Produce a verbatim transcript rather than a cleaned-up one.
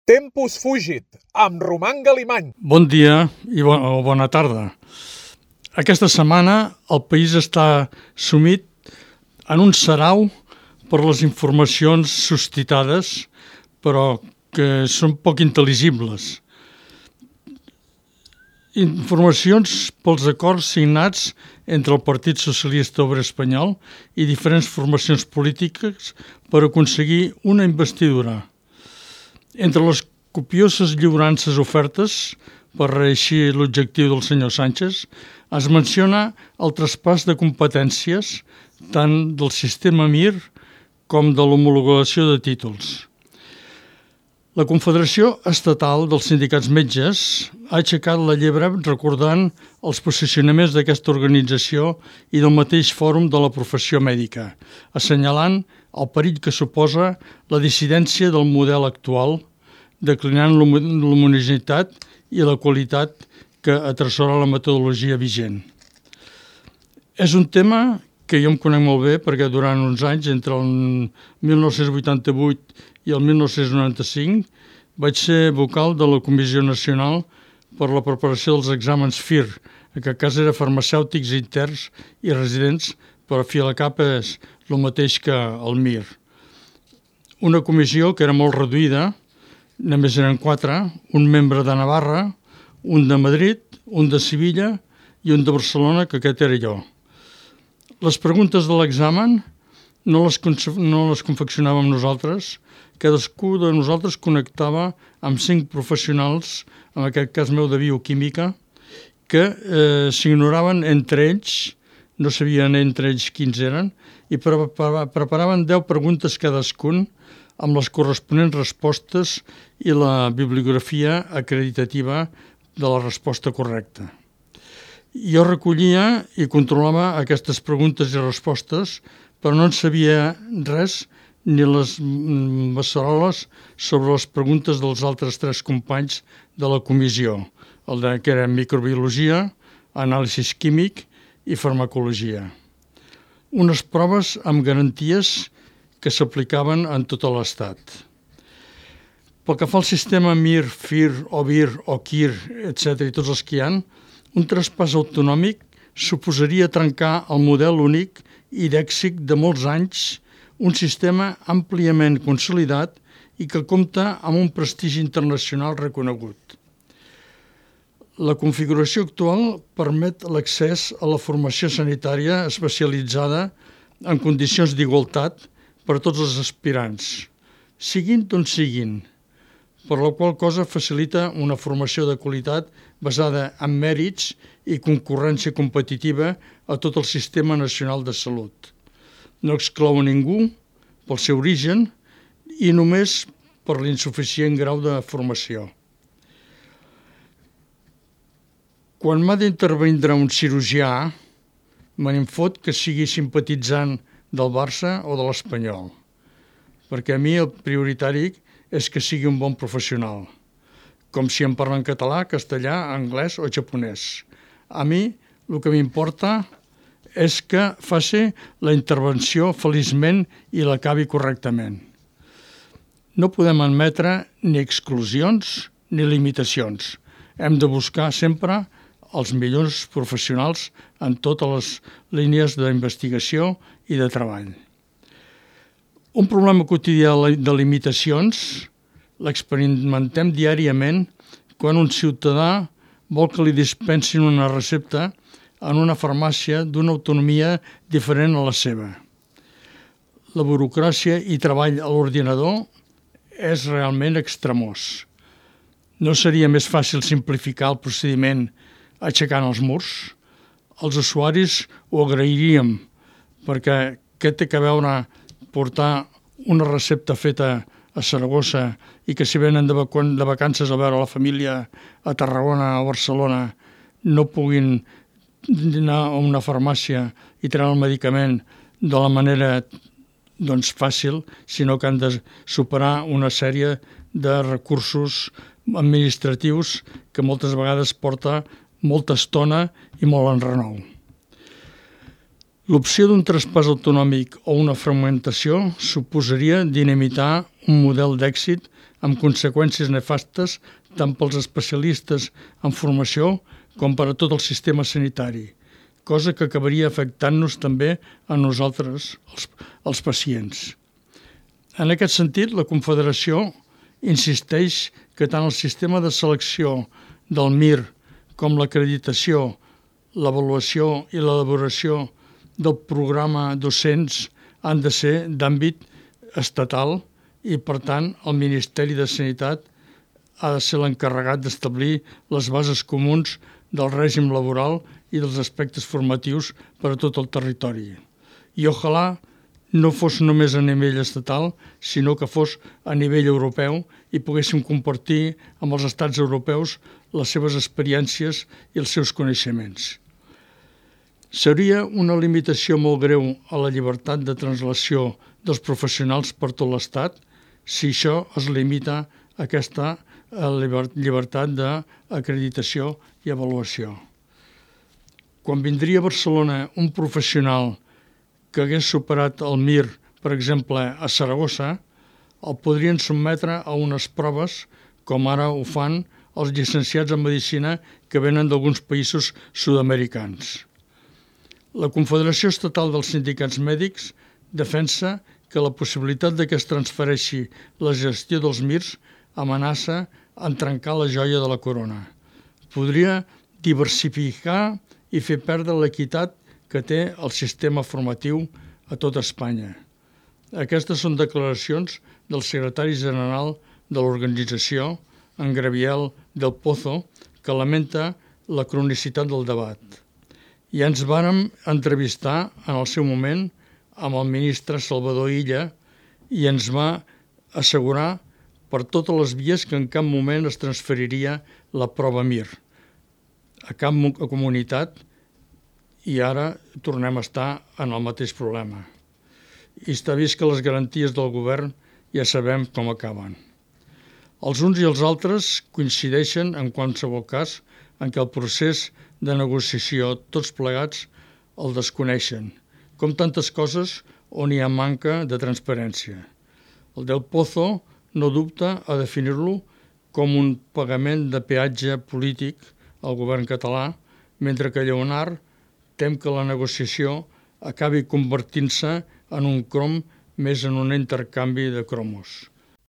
Tempus fugit, amb Roman Galimany. Bon dia i bo, o bona tarda. Aquesta setmana el país està sumit en un sarau per les informacions suscitades, però que són poc intel·ligibles. Informacions pels acords signats entre el Partit Socialista Obrer Espanyol i diferents formacions polítiques per aconseguir una investidura. Entre les copioses lliurances ofertes per reeixir l'objectiu del senyor Sánchez, es menciona el traspàs de competències tant del sistema Mir com de l'homologació de títols. La Confederació Estatal dels Sindicats Metges ha aixecat la llebre recordant els posicionaments d'aquesta organització i del mateix fòrum de la professió mèdica, assenyalant el perill que suposa la dissidència del model actual, declinant l'homogeneïtat i la qualitat que atresora la metodologia vigent. És un tema que jo em conec molt bé perquè durant uns anys, entre el mil nou-cents vuitanta-vuit i el mil nou-cents noranta-cinc, vaig ser vocal de la Comissió Nacional per la preparació dels exàmens F I R, en aquest cas era farmacèutics interns i residents, però a fi a la cap és el mateix que el Mir. Una comissió que era molt reduïda, només eren quatre, un membre de Navarra, un de Madrid, un de Sevilla i un de Barcelona, que aquest era jo. Les preguntes de l'examen no les, no les confeccionàvem nosaltres, cadascú de nosaltres connectava amb cinc professionals, en aquest cas meu de bioquímica, que eh, s'ignoraven entre ells, no sabien entre ells quins eren, i pre preparaven deu preguntes cadascun amb les corresponents respostes i la bibliografia acreditativa de la resposta correcta. Jo recollia i controlava aquestes preguntes i respostes, però no en sabia res ni les beceroles sobre les preguntes dels altres tres companys de la comissió, el de, que era microbiologia, anàlisi químic i farmacologia. Unes proves amb garanties que s'aplicaven en tot l'Estat. Pel que fa al sistema Mir, F I R, O V I R, O Q I R, etcètera, i tots els que hi ha, un traspàs autonòmic suposaria trencar el model únic i d'èxit de molts anys, un sistema àmpliament consolidat i que compta amb un prestigi internacional reconegut. La configuració actual permet l'accés a la formació sanitària especialitzada en condicions d'igualtat per a tots els aspirants, siguin d'on siguin, per la qual cosa facilita una formació de qualitat basada en mèrits i concurrència competitiva a tot el sistema nacional de salut. No exclou a ningú pel seu origen i només per l'insuficient grau de formació. Quan m'ha d'intervindre un cirurgià, me n'infot que sigui simpatitzant del Barça o de l'Espanyol, perquè a mi el prioritari és que sigui un bon professional, com si em parla en català, castellà, anglès o japonès. A mi el que m'importa és que faci la intervenció feliçment i l'acabi correctament. No podem admetre ni exclusions ni limitacions. Hem de buscar sempre els millors professionals en totes les línies d'investigació i de treball. Un problema quotidià de limitacions l'experimentem diàriament quan un ciutadà vol que li dispensin una recepta en una farmàcia d'una autonomia diferent a la seva. La burocràcia i treball a l'ordinador és realment extremós. No seria més fàcil simplificar el procediment aixecant els murs? Els usuaris ho agrairíem, perquè què té que veure portar una recepta feta a Saragossa i que si venen de, vac de vacances a veure la família a Tarragona o Barcelona no puguin anar a una farmàcia i treure el medicament de la manera doncs, fàcil, sinó que han de superar una sèrie de recursos administratius que moltes vegades porta molta estona i molt enrenou. L'opció d'un traspàs autonòmic o una fragmentació suposaria dinamitar un model d'èxit amb conseqüències nefastes tant pels especialistes en formació com per a tot el sistema sanitari, cosa que acabaria afectant-nos també a nosaltres, els, els pacients. En aquest sentit, la Confederació insisteix que tant el sistema de selecció del M I R com l'acreditació, l'avaluació i l'elaboració del programa docents han de ser d'àmbit estatal i, per tant, el Ministeri de Sanitat ha de ser l'encarregat d'establir les bases comuns del règim laboral i dels aspectes formatius per a tot el territori. I ojalà no fos només a nivell estatal, sinó que fos a nivell europeu i poguéssim compartir amb els estats europeus les seves experiències i els seus coneixements. Seria una limitació molt greu a la llibertat de translació dels professionals per tot l'Estat si això es limita a aquesta llibertat d'acreditació i avaluació. Quan vindria a Barcelona un professional que hagués superat el M I R, per exemple, a Saragossa, el podrien sotmetre a unes proves, com ara ho fan els llicenciats en Medicina que venen d'alguns països sud-americans. La Confederació Estatal dels Sindicats Mèdics defensa que la possibilitat de que es transfereixi la gestió dels M I Rs amenaça en trencar la joia de la corona. Podria diversificar i fer perdre l'equitat que té el sistema formatiu a tot Espanya. Aquestes són declaracions del secretari general de l'organització, en Gabriel del Pozo, que lamenta la cronicitat del debat. I ens vàrem entrevistar en el seu moment amb el ministre Salvador Illa i ens va assegurar per totes les vies que en cap moment es transferiria la prova M I R a cap comunitat i ara tornem a estar en el mateix problema. I està vist que les garanties del govern ja sabem com acaben. Els uns i els altres coincideixen en qualsevol cas en què el procés de negociació tots plegats el desconeixen, com tantes coses on hi ha manca de transparència. El del Pozo no dubta a definir-lo com un pagament de peatge polític al govern català, mentre que Lleonard tem que la negociació acabi convertint-se en un crom més en un intercanvi de cromos.